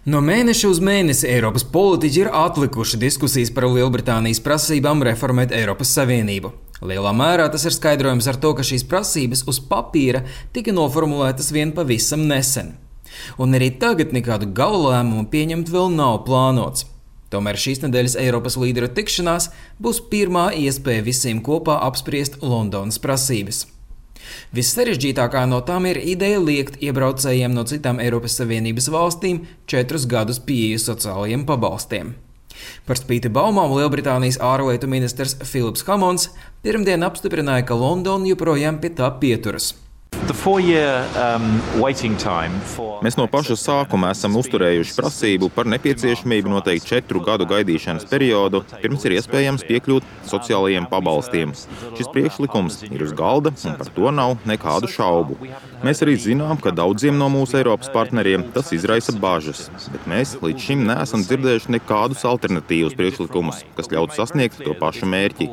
No mēneša uz mēnesi Eiropas politiķi ir atlikuši diskusijas par Lielbritānijas prasībām reformēt Eiropas Savienību. Lielā mērā tas ir skaidrojams ar to, ka šīs prasības uz papīra tika noformulētas vien pavisam nesen. Un arī tagad nekādu gala lēmumu pieņemt vēl nav plānots. Tomēr šīs nedēļas Eiropas līderu tikšanās būs pirmā iespēja visiem kopā apspriest Londonas prasības. Vissarežģītākā no tām ir ideja liekt iebraucējiem no citām Eiropas Savienības valstīm 4 gadus pieeju sociālajiem pabalstiem. Par spīti baumām Lielbritānijas ārlietu ministrs Philips Hammonds pirmdien apstiprināja, ka Londona joprojām pie tā pieturas. Mēs no paša sākuma esam uzturējuši prasību par nepieciešamību noteikt 4 gadu gaidīšanas periodu, pirms ir iespējams piekļūt sociālajiem pabalstiem. Šis priekšlikums ir uz galda, un par to nav nekādu šaubu. Mēs arī zinām, ka daudziem no mūsu Eiropas partneriem tas izraisa bažas, bet mēs līdz šim neesam dzirdējuši nekādus alternatīvus priekšlikumus, kas ļautu sasniegt to pašu mērķi.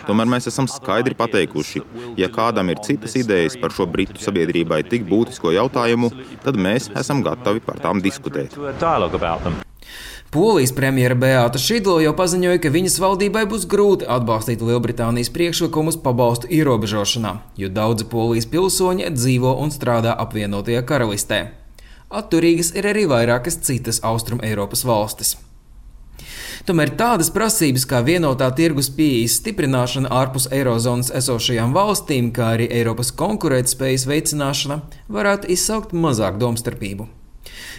Tomēr mēs esam skaidri pateikuši, ja kādam ir citas idejas par šo Britu sabiedrībai tik būtisko jautājumu, tad mēs esam gatavi par tām diskutēt. Polijas premjera Beāta Šidlo jau paziņoja, ka viņas valdībai būs grūti atbalstīt Lielbritānijas priekšlikumus pabalstu ierobežošanā, jo daudzi Polijas pilsoņi dzīvo un strādā apvienotajā karalistē. Atturīgas ir arī vairākas citas Austrum Eiropas valstis. Tomēr tādas prasības kā vienotā tirgus pieejas stiprināšana ārpus eirozonas esošajām valstīm, kā arī Eiropas konkurētspējas veicināšana, varētu izsaukt mazāk domstarpību.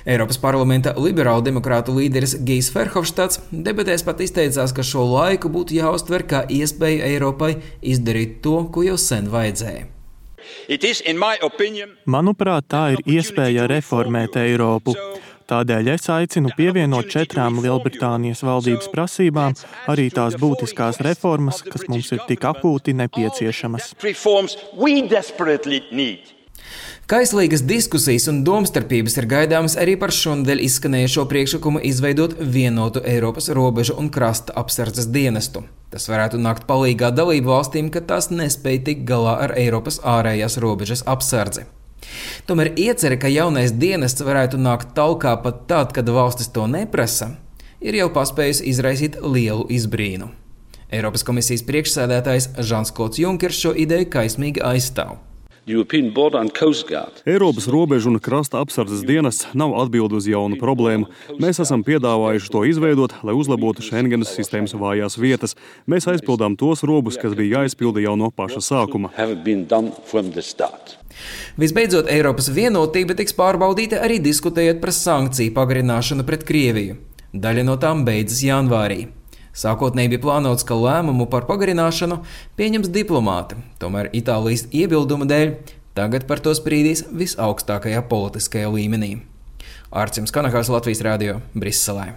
Eiropas parlamenta liberālu demokrātu līderis Gijs Verhofstadts debatēs pat izteicās, ka šo laiku būtu jāuztver kā iespēju Eiropai izdarīt to, ko jau sen vajadzēja. Manuprāt, tā ir iespēja reformēt Eiropu. Tādēļ es aicinu pievienot 4 Lielbritānijas valdības prasībām arī tās būtiskās reformas, kas mums ir tik akūti nepieciešamas. Kaislīgas diskusijas un domstarpības ir gaidāmas arī par šonadēļ izskanējušo priekšlikumu izveidot vienotu Eiropas robežu un krasta apsardzes dienestu. Tas varētu nākt palīgā dalību valstīm, kad tās nespēj tikt galā ar Eiropas ārējās robežas apsardzi. Tomēr iecerē, ka jaunais dienests varētu nākt talkā pat tad, kad valstis to neprasa, ir jau paspējusi izraisīt lielu izbrīnu. Eiropas komisijas priekšsēdētājs Žans-Klods Junkers šo ideju kaismīgi aizstāv. Eiropas robežu un krasta apsardzes dienests nav atbilde uz jaunu problēmu. Mēs esam piedāvājuši to izveidot, lai uzlabotu Schengenas sistēmas vājās vietas. Mēs aizpildām tos robus, kas bija jāizpilda jau no paša sākuma. Visbeidzot, Eiropas vienotība tiks pārbaudīta arī diskutējot par sankciju pagarināšanu pret Krieviju. Daļa no tām beidzas janvārī. Sākotnēji bija plānots, ka lēmumu par pagarināšanu pieņems diplomāti, tomēr Itālijas iebilduma dēļ tagad par to sprīdīs visaugstākajā politiskajā līmenī. Ārcims Kanahās, Latvijas radio, Briselē.